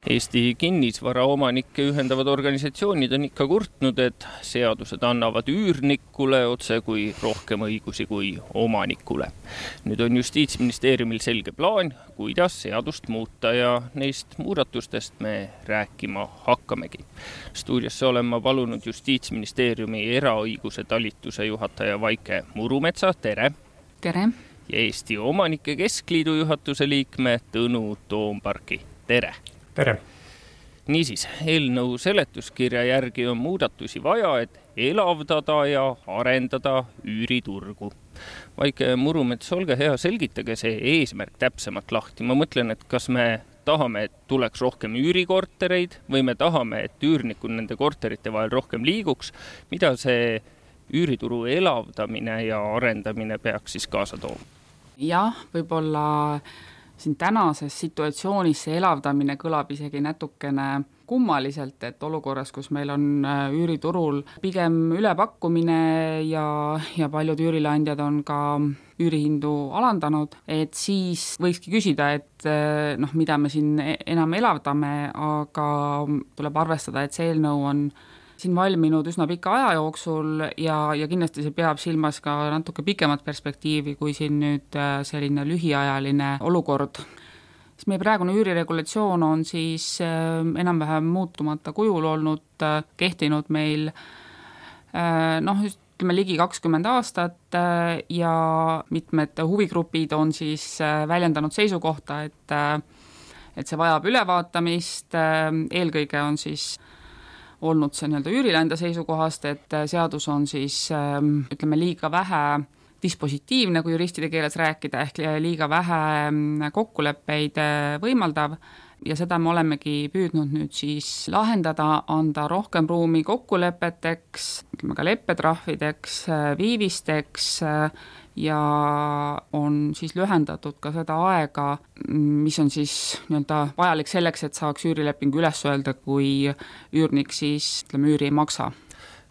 Eesti kinnisvaraomanikke ühendavad organisatsioonid on ikka kurtnud, et seadused annavad üürnikule otse kui rohkem õigusi kui omanikule. Nüüd on Justiitsministeeriumil selge plaan, kuidas seadust muuta ja neist muudatustest me rääkima hakkamegi. Stuudiosse olen ma palunud Justiitsministeeriumi eraõiguse talituse juhataja Vaike Murumetsa, tere! Tere! Ja Eesti Omanike Keskliidu juhatuse liikme Tõnu Toomparki, tere! Tere! Niisiis, eelnõu seletuskirja järgi on muudatusi vaja, et elavdada ja arendada üüriturgu. Vaike Murumets, olge hea, selgitage see eesmärk täpsemalt lahti. Ma mõtlen, et kas me tahame, et tuleks rohkem üürikortereid või me tahame, et üürnikud nende korterite vahel rohkem liiguks. Mida see üürituru elavdamine ja arendamine peaks siis kaasa tooma? Jah, võib-olla siin tänases situatsioonis see elavdamine kõlab isegi natukene kummaliselt, et olukorras, kus meil on üüriturul pigem ülepakkumine ja paljud üürileandjad on ka üürihindu alandanud, et siis võikski küsida, et mida me siin enam elavdame, aga tuleb arvestada, et see eelnõu on siin valminud üsna pika aja jooksul ja kindlasti see peab silmas ka natuke pikemat perspektiivi kui siin nüüd selline lühiajaline olukord. Meie praegune üüriregulatsioon on siis enam-vähem muutumata kujul olnud, kehtinud meil ütleme ligi 20 aastat ja mitmed huvigrupid on siis väljendanud seisukohta, et see vajab ülevaatamist, eelkõige on siis olnud see üürileandja seisukohast, et seadus on siis ütleme liiga vähe dispositiivne, kui juristide keeles rääkida, ehk liiga vähe kokkuleppeid võimaldav ja seda me olemegi püüdnud nüüd siis lahendada, anda rohkem ruumi kokkulepeteks, ütleme ka leppetrahvideks, viivisteks ja on siis lühendatud ka seda aega, mis on siis vajalik selleks, et saaks üürilepingu üles öelda, kui üürnik siis üüri ei maksa.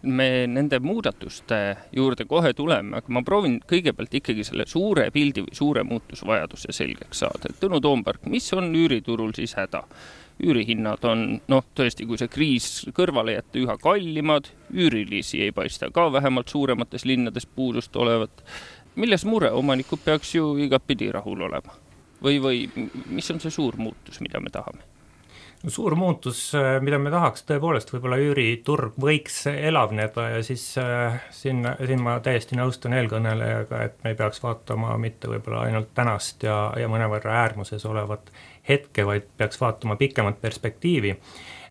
Me nende muudatuste juurde kohe tuleme, aga ma proovin kõigepealt ikkagi selle suure pildi või suure muutusvajaduse selgeks saada. Tõnu Toompark, mis on üüriturul siis häda? Üürihinnad on, tõesti, kui see kriis kõrvale jätta, üha kallimad, üürilisi ei paista ka vähemalt suuremates linnades puudust olevat. Milles mure? Omanikud peaks ju igapidi rahul olema. Või mis on see suur muutus, mida me tahame? Suur muutus, mida me tahaks tõepoolest, võib-olla üüriturg võiks elavneda ja siis siin ma täiesti nõustun eelkõnelejaga, et me ei peaks vaatama mitte võib-olla ainult tänast ja mõnevõrra äärmuses olevat hetke, vaid peaks vaatama pikemat perspektiivi.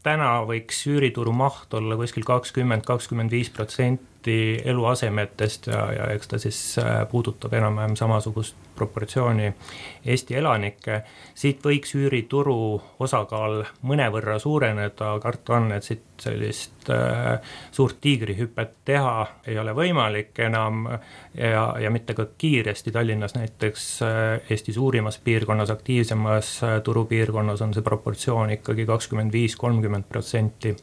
Täna võiks üürituru maht olla kuskil 20-25% eluasemetest ja eks ta siis puudutab enam-vähem samasugust proportsiooni Eesti elanikke. Siit võiks üürituru osakaal mõnevõrra suureneda, karta on, et siit sellist suurt tiigrihüpet teha ei ole võimalik enam ja mitte ka kiiresti. Tallinnas näiteks Eesti suurimas piirkonnas, aktiivsemas turupiirkonnas on see proportsioon ikkagi 25-30%.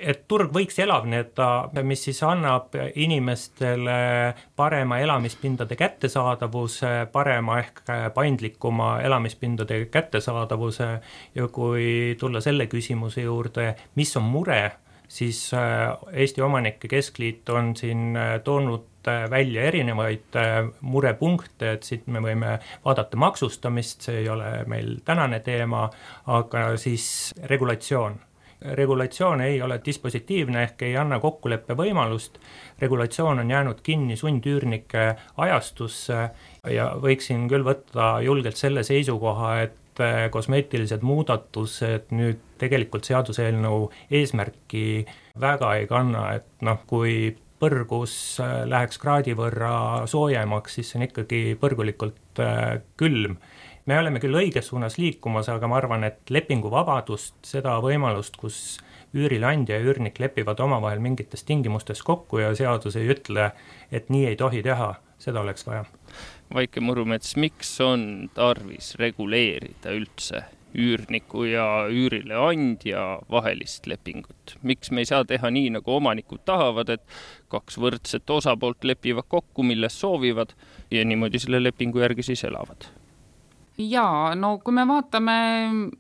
Et turg võiks elavneda, mis siis annab inimestele parema elamispindade kättesaadavuse, parema ehk paindlikuma elamispindade kättesaadavuse ja kui tulla selle küsimuse juurde, mis on mure, siis Eesti Omanike Keskliit on siin toonud välja erinevaid murepunkte, et siit me võime vaadata maksustamist, see ei ole meil tänane teema, aga siis regulatsioon ei ole dispositiivne ehk ei anna kokkuleppe võimalust. Regulatsioon on jäänud kinni sundüürnike ajastusse ja võiksin küll võtta julgelt selle seisukoha, et kosmeetilised muudatused nüüd tegelikult seaduseelnõu eesmärki väga ei kanna, et kui põrgus läheks kraadi võrra soojemaks, siis see on ikkagi põrgulikult külm. Me oleme küll õiges suunas liikumas, aga ma arvan, et lepinguvabadust, seda võimalust, kus üürileandja ja üürnik lepivad omavahel mingites tingimustes kokku ja seadus ei ütle, et nii ei tohi teha, seda oleks vaja. Vaike Murumets, miks on tarvis reguleerida üldse üürniku ja üürileandja vahelist lepingut? Miks me ei saa teha nii, nagu omanikud tahavad, et kaks võrdset osapoolt lepivad kokku, milles soovivad ja niimoodi selle lepingu järgi siis elavad? Jaa, kui me vaatame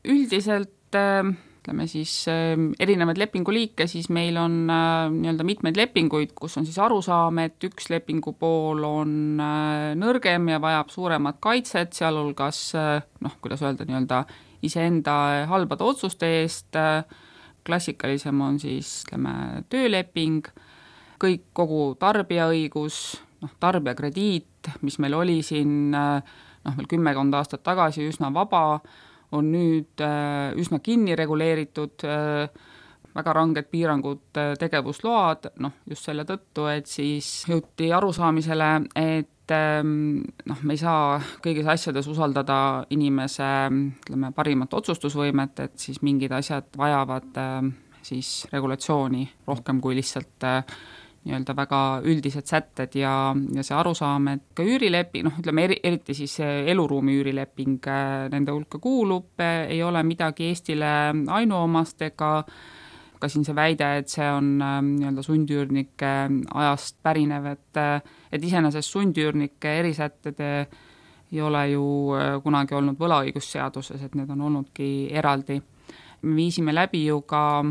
üldiselt ütleme siis erinevaid lepinguliike, siis meil on nii-öelda mitmeid lepinguid, kus on siis arusaam, et üks lepingu pool on nõrgem ja vajab suuremat kaitset, sealhulgas kuidas öelda, nii-öelda iseenda halbade otsuste eest, klassikalisem on siis, ütleme, tööleping, kogu tarbijaõigus, tarbijakrediit, mis meil oli siin veel 10 aastat tagasi üsna vaba, on nüüd üsna kinni reguleeritud, väga ranged piirangud, tegevusload, just selle tõttu, et siis jõuti arusaamisele, et me ei saa kõigis asjades usaldada inimese, ütleme, parimat otsustusvõimet, et siis mingid asjad vajavad siis regulatsiooni rohkem kui lihtsalt nii-öelda väga üldised sätted ja see arusaam, et ka üürileping, ütleme eriti siis eluruumi üürileping nende hulka kuulub, ei ole midagi Eestile ainuomast ega ka siin see väide, et see on nii-öelda sundüürnike ajast pärinev, et iseenesest sundüürnike erisätted ei ole ju kunagi olnud võlaõigusseaduses, et need on olnudki eraldi. Me viisime läbi ju ka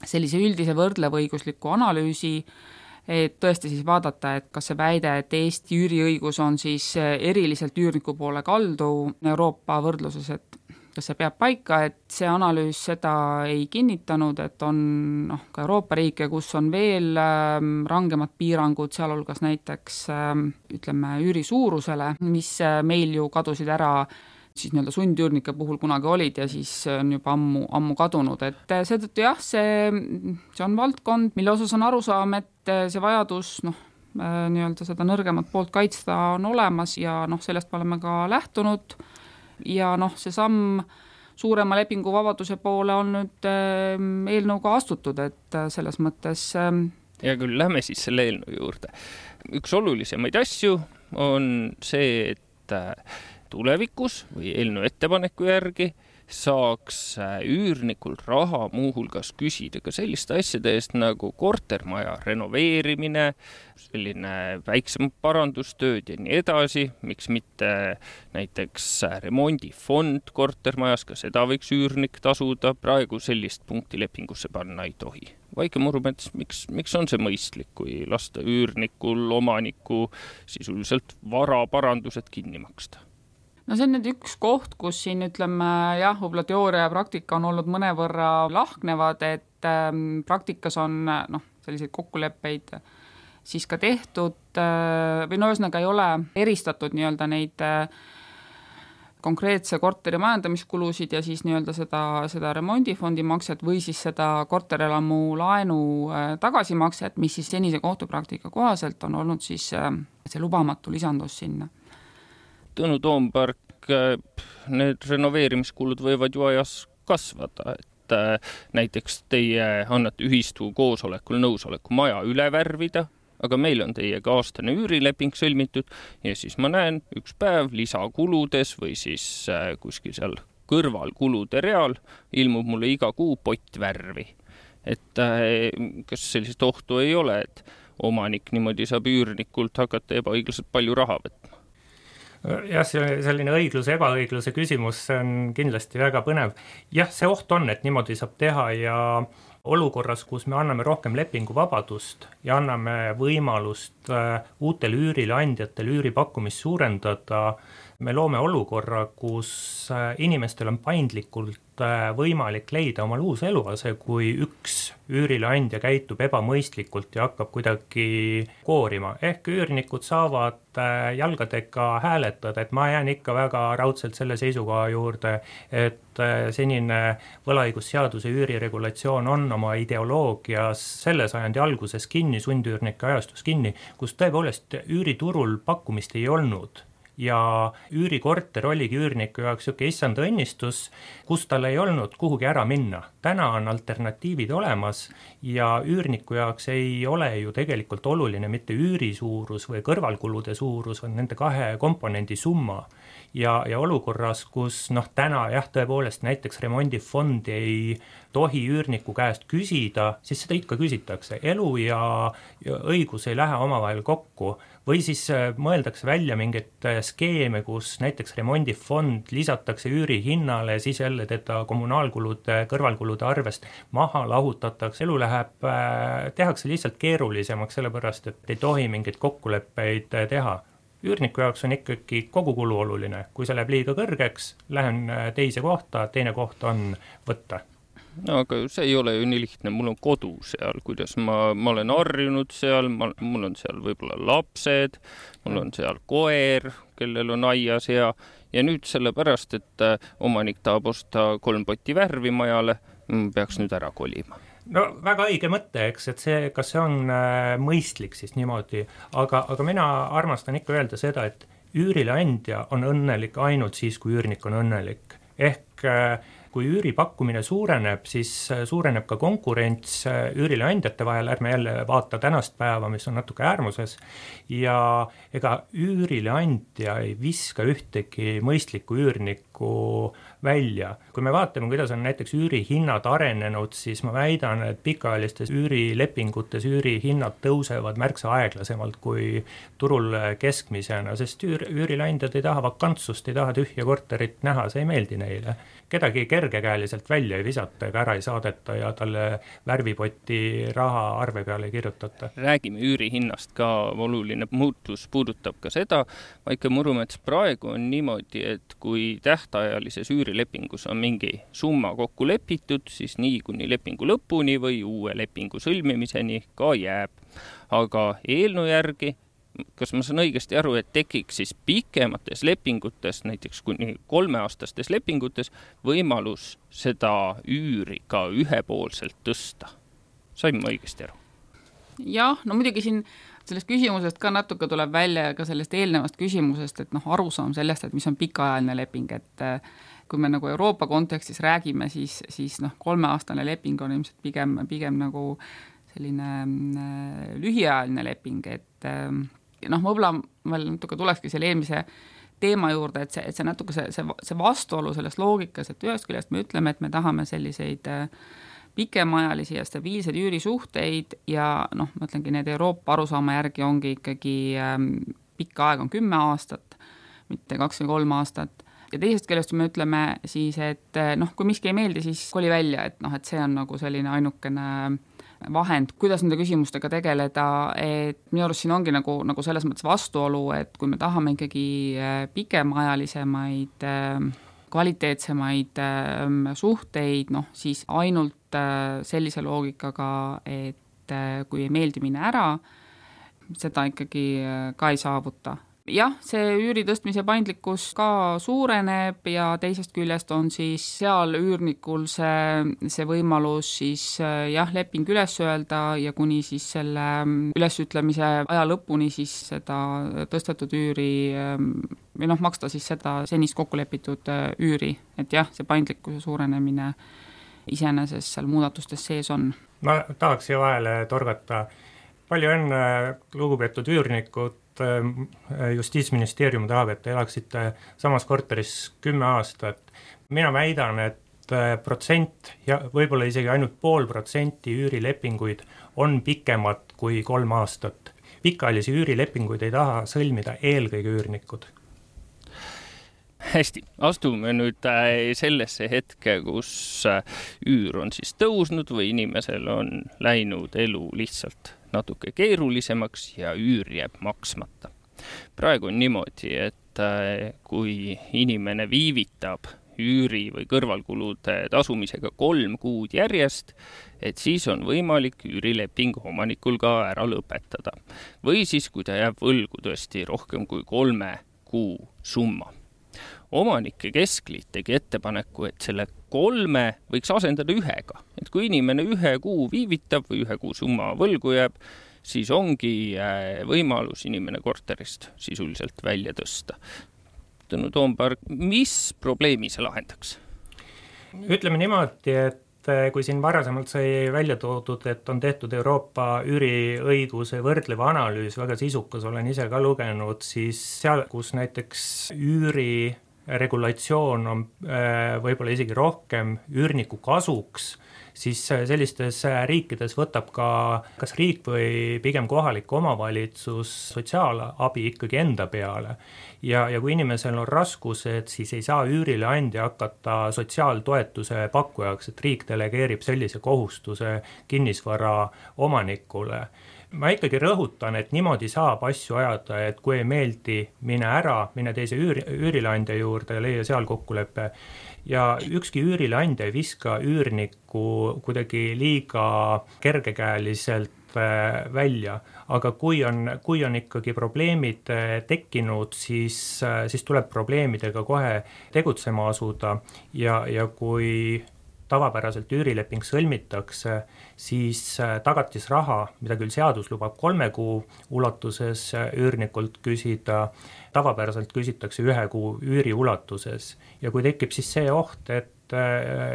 sellise üldise võrdlevõigusliku analüüsi, et tõesti siis vaadata, et kas see väide, et Eesti üüriõigus on siis eriliselt üürniku poole kaldu Euroopa võrdluses, et kas see peab paika, et see analüüs seda ei kinnitanud, et on ka Euroopa riike, kus on veel rangemad piirangud, sealhulgas näiteks ütleme üüri suurusele, mis meil ju kadusid ära siis nii-öelda sundüürnike puhul kunagi olid ja siis on juba ammu kadunud, et seetõttu jah, see on valdkond, mille osas on arusaam, et see vajadus nii-öelda seda nõrgemat poolt kaitsta on olemas ja sellest me oleme ka lähtunud ja see samm suurema lepinguvabaduse poole on nüüd eelnõuga astutud, et selles mõttes ja küll, lähme siis selle eelnõu juurde. Üks olulisemaid asju on see, et tulevikus või eelnõu ettepaneku järgi saaks üürnikul raha muuhulgas küsida ka selliste asjade eest nagu kortermaja renoveerimine, selline väiksem parandustööd ja nii edasi, miks mitte näiteks remondifond kortermajas, ka seda võiks üürnik tasuda, praegu sellist punkti lepingusse panna ei tohi. Vaike Murumets, miks on see mõistlik, kui lasta üürnikul omaniku sisuliselt varaparandused kinni maksta? No see on nüüd üks koht, kus siin ütleme jah, võib-olla teooria ja praktika on olnud mõnevõrra lahknevad, et praktikas on selliseid kokkuleppeid siis ka tehtud või ühesõnaga ei ole eristatud nii-öelda neid konkreetse korteri majandamiskulusid ja siis nii-öelda seda remondifondi makset või siis seda korterelamu laenu tagasimakset, mis siis senise kohtupraktika kohaselt on olnud siis see lubamatu lisandus sinna. Tõnu Toompark, need renoveerimiskulud võivad ju ajas kasvada, et näiteks teie annate ühistu koosolekul nõusoleku maja üle värvida, aga meil on teiega aastane üürileping sõlmitud ja siis ma näen üks päev lisakuludes või siis kuskil seal kõrval kulude real ilmub mulle iga kuu pott värvi. Et kas sellist ohtu ei ole, et omanik niimoodi saab üürnikult hakata ebaõiglaselt palju raha võtma? Jah, selline õigluse, ebaõigluse küsimus, see on kindlasti väga põnev. Jah, see oht on, et niimoodi saab teha ja olukorras, kus me anname rohkem lepinguvabadust ja anname võimalust uutel üürileandjatel üüripakkumist suurendada, me loome olukorra, kus inimestel on paindlikult võimalik leida omal uus eluase, kui üks üürileandja käitub ebamõistlikult ja hakkab kuidagi koorima. Ehk üürnikud saavad jalgadega hääletada, et ma jään ikka väga raudselt selle seisukoha juurde, et senine võlaõigusseaduse üüriregulatsioon on oma ideoloogias selle sajandi alguses kinni, sundüürnike ajastus kinni, kus tõepoolest üüriturul pakkumist ei olnud. Ja üürikorter oligi üürniku jaoks siuke issanda õnnistus, kus tal ei olnud kuhugi ära minna. Täna on alternatiivid olemas ja üürniku jaoks ei ole ju tegelikult oluline mitte üüri suurus või kõrvalkulude suurus, on nende kahe komponendi summa. Ja olukorras, kus täna jah, tõepoolest näiteks remondifondi ei tohi üürniku käest küsida, siis seda ikka küsitakse. Elu ja õigus ei lähe omavahel kokku. või siis mõeldakse välja mingeid skeeme, kus näiteks remondifond lisatakse üürihinnale ja siis jälle teda kommunaalkulude, kõrvalkulude arvest maha lahutatakse, elu läheb, tehakse lihtsalt keerulisemaks, sellepärast et ei tohi mingeid kokkuleppeid teha. Üürniku jaoks on ikkagi kogukulu oluline, kui see läheb liiga kõrgeks, lähen teise kohta, teine koht on võtta. No aga see ei ole ju nii lihtne, mul on kodu seal, kuidas ma olen harjunud seal, mul on seal võib-olla lapsed, mul on seal koer, kellel on aias ja nüüd sellepärast, et omanik tahab osta 3 potti värvi majale, peaks nüüd ära kolima. No väga õige mõte, eks, et see, kas see on mõistlik siis niimoodi, aga mina armastan ikka öelda seda, et üürileandja on õnnelik ainult siis, kui üürnik on õnnelik. Ehk kui üüripakkumine suureneb, siis suureneb ka konkurents üürileandjate vahel, ärme jälle vaata tänast päeva, mis on natuke äärmuses, ja ega üürileandja ei viska ühtegi mõistlikku üürnikku välja. Kui me vaatame, kuidas on näiteks üürihinnad arenenud, siis ma väidan, et pikaajalistes üürilepingutes üürihinnad tõusevad märksa aeglasemalt kui turul keskmisena, sest üürileandjad ei taha vakantsust, ei taha tühja korterit näha, see ei meeldi neile. Kedagi kergekäeliselt välja ei visata ega ära ei saadeta ja talle värvipoti raha arve peale ei kirjutata. Räägime üürihinnast ka, oluline muutus puudutab ka seda, Vaike Murumets, praegu on niimoodi, et kui tähtajalises üürilepingus on mingi summa kokku lepitud, siis nii kuni lepingu lõpuni või uue lepingu sõlmimiseni ka jääb. Aga eelnõu järgi, kas ma saan õigesti aru, et tekiks siis pikemates lepingutes, näiteks kuni 3-aastastes lepingutes, võimalus seda üüri ka ühepoolselt tõsta? Sain ma õigesti aru? Jah, no muidugi siin sellest küsimusest ka natuke tuleb välja ka sellest eelnevast küsimusest, et arusaam sellest, et mis on pikaajaline leping, et kui me nagu Euroopa kontekstis räägime, siis 3-aastane leping on ilmselt pigem nagu selline lühiajaline leping, et võib-olla veel natuke tulekski selle eelmise teema juurde, et see natuke see vastuolu selles loogikas, et ühest küljest me ütleme, et me tahame selliseid pikemaajalisi ja stabiilseid üürisuhteid ja ma ütlengi, need Euroopa arusaama järgi ongi ikkagi pikka aeg on 10 aastat, mitte 2 või 3 aastat. Ja teisest küljest me ütleme siis, et kui miski ei meeldi, siis koli välja, et see on nagu selline ainukene vahend, kuidas nende küsimustega tegeleda, et minu arust siin ongi nagu selles mõttes vastuolu, et kui me tahame ikkagi pikemaajalisemaid, kvaliteetsemaid suhteid, siis ainult sellise loogikaga, et kui ei meeldi minna ära, seda ikkagi ka ei saavuta. Jah, see üüri tõstmise paindlikkus ka suureneb ja teisest küljest on siis seal üürnikul see võimalus siis leping üles öelda ja kuni siis selle ülesütlemise aja lõpuni siis seda tõstetud üüri või maksta siis seda senist kokkulepitud üüri, et jah, see paindlikkuse suurenemine iseenesest seal muudatustes sees on. Ma tahaks siia vahele torgata. Palju enne lugupeetud üürnikud Justiitsministeerium tahab, et te elaksite samas korteris 10 aastat. Mina väidan, et protsent ja võib-olla isegi ainult 0,5% üürilepinguid on pikemad kui 3 aastat. Pikaajalisi üürilepinguid ei taha sõlmida eelkõige üürnikud. Hästi, astume nüüd sellesse hetke, kus üür on siis tõusnud või inimesel on läinud elu lihtsalt natuke keerulisemaks ja üür jääb maksmata. Praegu on niimoodi, et kui inimene viivitab üüri või kõrvalkulude tasumisega 3 kuud järjest, et siis on võimalik üürileping omanikul ka ära lõpetada. Või siis, kui ta jääb võlgu tõesti rohkem kui 3 kuu summa. Omanike keskliit tegi ettepaneku, et selle 3 võiks asendada 1-ga. Et kui inimene 1 kuu viivitab või 1 kuu summa võlgu jääb, siis ongi võimalus inimene korterist sisuliselt välja tõsta. Tõnu Toompark, mis probleemi see lahendaks? Ütleme niimoodi, et kui siin varasemalt sai välja toodud, et on tehtud Euroopa üüriõiguse võrdlev analüüs, väga sisukas, olen ise ka lugenud, siis seal, kus näiteks üüri regulatsioon on võib-olla isegi rohkem üürniku kasuks, siis sellistes riikides võtab ka kas riik või pigem kohalik omavalitsus sotsiaalabi ikkagi enda peale. Ja kui inimesel on raskused, siis ei saa üürileandja hakata sotsiaaltoetuse pakkujaks, et riik delegeerib sellise kohustuse kinnisvara omanikule. Ma ikkagi rõhutan, et niimoodi saab asju ajada, et kui ei meeldi, mine teise üürileandja juurde ja leia seal kokkulepe. Ja ükski üürileandja ei viska üürnikku kuidagi liiga kergekäeliselt välja, aga kui on ikkagi probleemid tekkinud, siis tuleb probleemidega kohe tegutsema asuda ja kui tavapäraselt üürileping sõlmitakse, siis tagatisraha, mida küll seadus lubab 3 kuu ulatuses üürnikult küsida, tavapäraselt küsitakse 1 kuu üüri ulatuses. Ja kui tekib siis see oht, et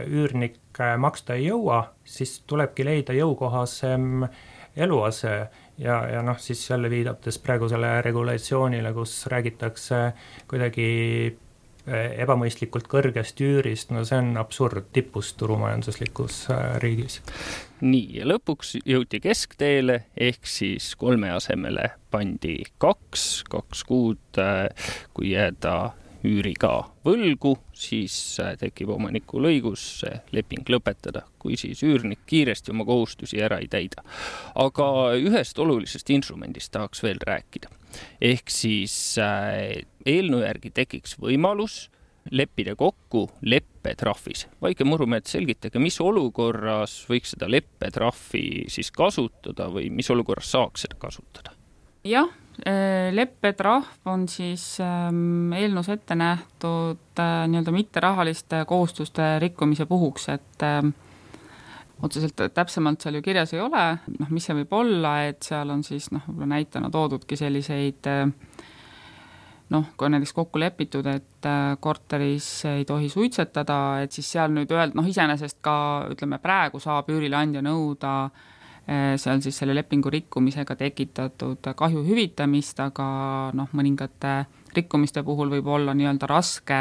üürnik maksta ei jõua, siis tulebki leida jõukohasem eluase ja siis jälle viidates praegu selle regulatsioonile, kus räägitakse kuidagi ebamõistlikult kõrgest üürist, see on absurd tipust turumajanduslikus riigis. Nii, ja lõpuks jõuti keskteele, ehk siis 3 asemele pandi 2 kuud, kui jääda üüriga võlgu, siis tekib omanikul õigus leping lõpetada, kui siis üürnik kiiresti oma kohustusi ära ei täida. Aga ühest olulisest instrumendist tahaks veel rääkida. Ehk siis eelnõu järgi tekiks võimalus leppida kokku leppetrahvis. Vaike Murumeet, selgitage, mis olukorras võiks seda leppetrahvi siis kasutada või mis olukorras saaks seda kasutada? Jah, leppetrahv on siis eelnõus ette nähtud nii-öelda mitterahaliste kohustuste rikkumise puhuks, et otseselt täpsemalt seal ju kirjas ei ole, mis see võib olla, et seal on siis näitena toodudki selliseid kui näiteks kokku lepitud, et korteris ei tohi suitsetada, et siis seal nüüd iseenesest ka, ütleme, praegu saab üürileandja nõuda seal siis selle lepingu rikkumisega tekitatud kahju hüvitamist, aga mõningate rikkumiste puhul võib olla nii-öelda raske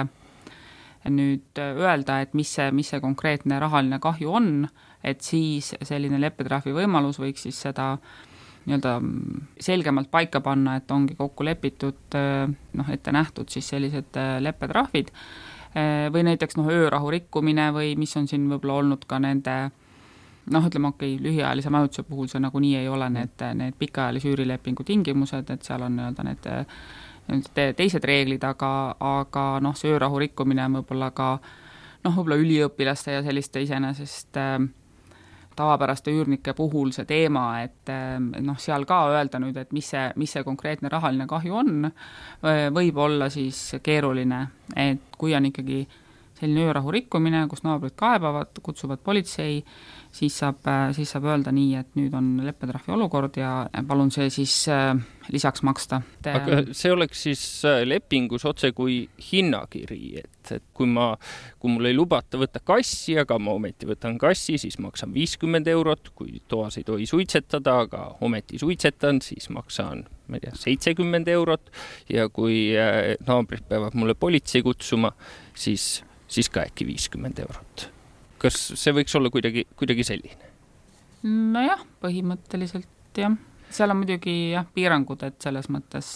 nüüd öelda, et mis see konkreetne rahaline kahju on, et siis selline leppetrahvi võimalus võiks siis seda nii-öelda selgemalt paika panna, et ongi kokku lepitud, ette nähtud siis sellised leppetrahvid või näiteks öörahu rikkumine või mis on siin võib-olla olnud ka nende lühiajalise majutuse puhul see nagunii ei ole need pikaajalise üürilepingu tingimused, et seal on need teised reeglid, aga see öörahu rikkumine on võib-olla ka võib-olla üliõpilaste ja selliste iseenesest tavapäraste üürnike puhul see teema, et seal ka öelda nüüd, et mis see konkreetne rahaline kahju on, võib olla siis keeruline, et kui on ikkagi selline öörahu rikkumine, kus naabrid kaebavad, kutsuvad politsei, siis saab öelda nii, et nüüd on leppetrahvi olukord ja palun see siis lisaks maksta. Aga see oleks siis lepingus otse kui hinnakiri, et kui mul ei lubata võtta kassi, aga ma ometi võtan kassi, siis maksan 50 €, kui toas ei tohi suitsetada, aga ometi suitsetan, siis maksan 70 € ja kui naabrid peavad mulle politsei kutsuma, siis ka äkki 50 €. Kas see võiks olla kuidagi selline? Nojah, põhimõtteliselt jah. Seal on muidugi piirangud, et selles mõttes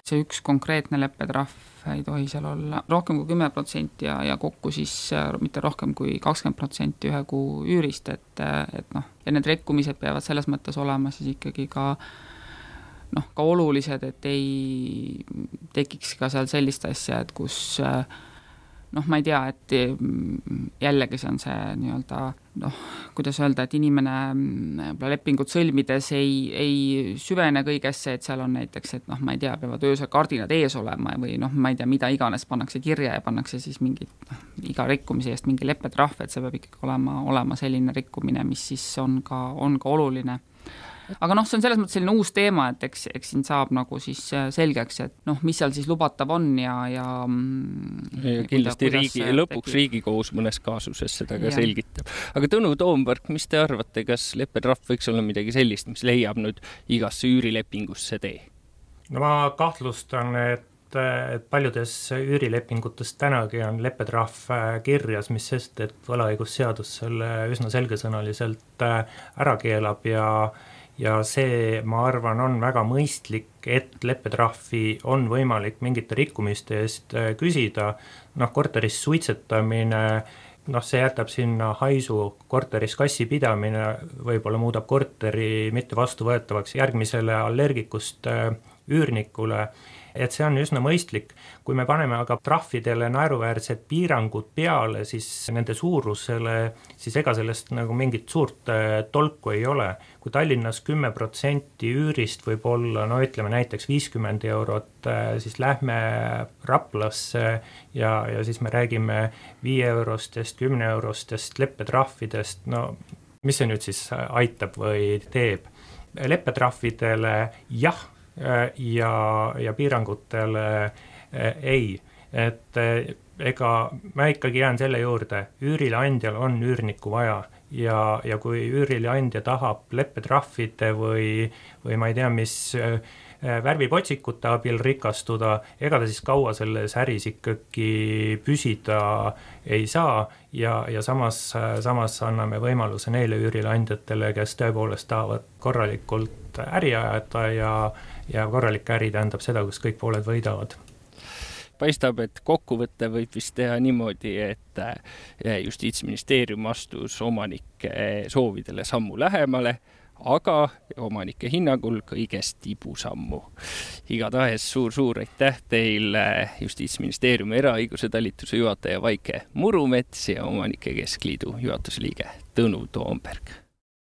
see üks konkreetne leppetrahv ei tohi seal olla rohkem kui 10% ja kokku siis mitte rohkem kui 20% 1 kuu üürist, et ja need rikkumised peavad selles mõttes olema siis ikkagi ka olulised, et ei tekiks ka seal sellist asja, et kus ma ei tea, et jällegi see on see nii-öelda, kuidas öelda, et inimene lepingut sõlmides ei süvene kõigesse, et seal on näiteks, et ma ei tea, peavad öösel kardinad ees olema või ma ei tea, mida iganes pannakse kirja ja pannakse siis iga rikkumise eest mingi leppetrahv, et see peab ikkagi olema selline rikkumine, mis siis on ka oluline. Aga see on selles mõttes selline uus teema, et eks siin saab siis selgeks, et mis seal siis lubatav on ja kindlasti lõpuks Riigikohus mõnes kaasuses seda ka selgitab. Aga Tõnu Toompark, mis te arvate, kas leppetrahv võiks olla midagi sellist, mis leiab nüüd igasse üürilepingusse tee? No ma kahtlustan, et et paljudes üürilepingutes tänagi on leppetrahv kirjas, mis sest, et võlaõigusseadus selle üsna selgesõnaliselt ära keelab ja see, ma arvan, on väga mõistlik, et leppetrahvi on võimalik mingite rikkumiste eest küsida. Korteris suitsetamine, see jätab sinna haisu, korteris kassi pidamine võib-olla muudab korteri mitte vastuvõetavaks järgmisele allergikust üürnikule, et see on üsna mõistlik. Kui me paneme aga trahvidele naeruväärsed piirangud peale, siis nende suurusele, siis ega sellest nagu mingit suurt tolku ei ole. Kui Tallinnas 10% üürist võib olla, ütleme näiteks 50 €, siis lähme Raplasse ja siis me räägime 5 €, 10 € leppetrahvidest, mis see nüüd siis aitab või teeb? Leppetrahvidele jah, ja piirangutele ei, et ega ma ikkagi jään selle juurde, üürileandjal on üürnikku vaja ja kui üürileandja tahab leppetrahvide või ma ei tea, mis värvipotsikute abil rikastuda, ega ta siis kaua selles äris ikkagi püsida ei saa ja samas anname võimaluse neile üürileandjatele, kes tõepoolest tahavad korralikult äri ajada ja korralik äri tähendab seda, kus kõik pooled võidavad. Paistab, et kokkuvõtte võib vist teha niimoodi, et Justiitsministeerium astus omanike soovidele sammu lähemale, aga omanike hinnangul kõigest tibusammu. Igatahes suur aitäh teile Justiitsministeeriumi eraõiguse talituse juhataja Vaike Murumets ja Omanike Keskliidu juhatuse liige Tõnu Toomberg.